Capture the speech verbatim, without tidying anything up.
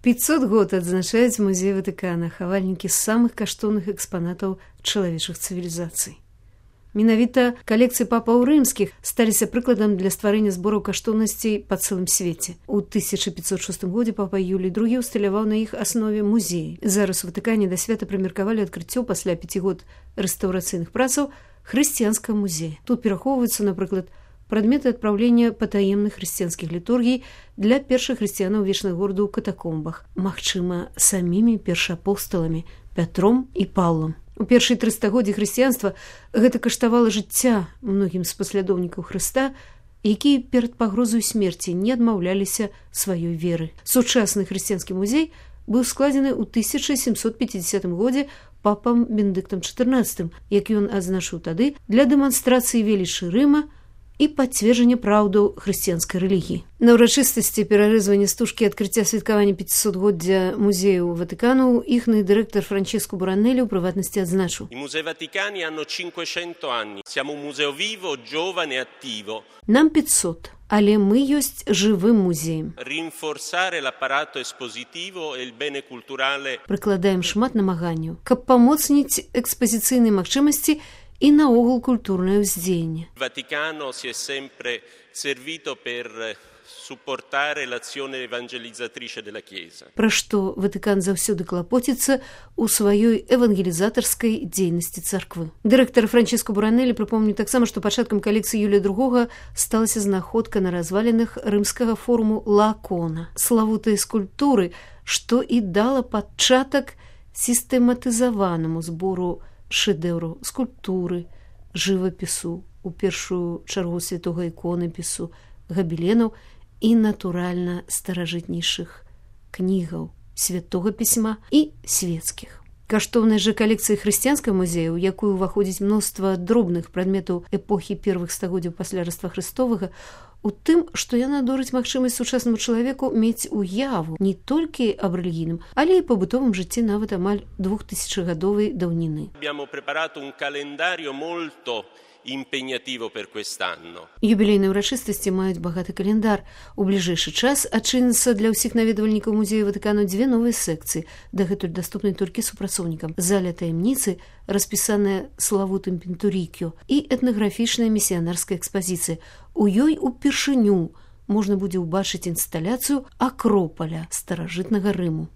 пятьсот год адзначаюць музей Ватыкана, хавальнікі самых каштоўных экспанатаў чалавечых цывілізацый. Менавіта калекцыі папаў рымскіх сталіся прыкладам для стварэння збораў каштоўнасцей па цэлым свеце. У тысяча пятьсот шостым годзе папа Юлій другі ўсталяваў на іх аснове музей. Зараз у Ватыкане да свята прымеркавалі адкрыццё пасля пяці год рэстаўрацыйных працаў хрысціянскага музея. Тут перахоўваюцца, напрыклад, прадметы адпраўлення патаемных хрысціянскіх літургій для першых хрысціянаў вечнага гораду ў катакомбах, магчыма, самімі першаапосталамі Пятром і Паўлам. У першыя тры стагоддзі хрысціянства гэта каштавала жыцця многім з паслядоўнікаў Хрыста, якія перад пагрозай смерці не адмаўляліся сваёй веры. Сучасны хрысціянскі музей быў складзены ў тысяча сямсот пяцідзясятым годзе папам Бенедыктам чатырнаццатым, як ён адзначыў тады, для дэманстрацыі велічы Рыма і пацверджання праўдаў хрысціянскай рэлігіі. На ўрачыстасці перарэзвання стужкі адкрыцця святкавання пяцісотгоддзя музею Ватыкану іхны дырэктар Франческо Буранелі ў прыватнасці адзначыў: I Musei Vaticani hanno cinquecento anni. Siamo un museo vivo, giovane e attivo. Нам пятьсот, але мы ёсць жывым музеем. Rinforzare l'apparato espositivo e il bene culturale. Прыкладаем шмат намаганняў, каб памоцніць экспазіцыйныя магчымасці і наогул культурнае ўздзеянне. Vaticano si è sempre servito per supportare l'azione evangelizzatrice della Chiesa. Пра што Ватыкан заўсёды клапоціцца ў сваёй евангелізатарскай дзейнасці царквы. Дырэктар Франческо Буранелі прыпомніў таксама, што пачаткам калекцыі Юлія другога сталася знаходка на развалінах рымскага форуму Лаакона, славутай скульптуры, што і дала пачатак сістэматызаванаму збору шэдэўраў скульптуры, жывапісу, у першую чаргу святога іконапісу, габеленаў і, натуральна, старажытнейшых кнігаў святога пісьма і свецкіх. Каштоўнай жа калекцыі хрысціянскага музея, у якую ўваходзіць мноства дробных прадметаў эпохі первых стагоддзяў пасля Раства Хрыстовага, у тым, што яна дорыць магчымасць сучаснаму чалавеку мець уяву не толькі аб рэлігійным, але і пабытовым жыцці нават амаль двухтысячагадовай даўніны. Abbiamo preparato un calendario molto impegnativo per quest'anno. Юбілейныя ўрачыстасці маюць багаты календар. У бліжэйшы час адчыняцца для ўсіх наведвальнікаў музея Ватыкану дзве новыя секцыі, дагэтуль даступныя толькі супрацоўнікам: заля таямніцы, распісаная славутым Пінтурікіо, і этнаграфічная місіянарская экспазіцыя. У ёй упершыню можна будзе ўбачыць інсталяцыю акропаля старажытнага Рыму.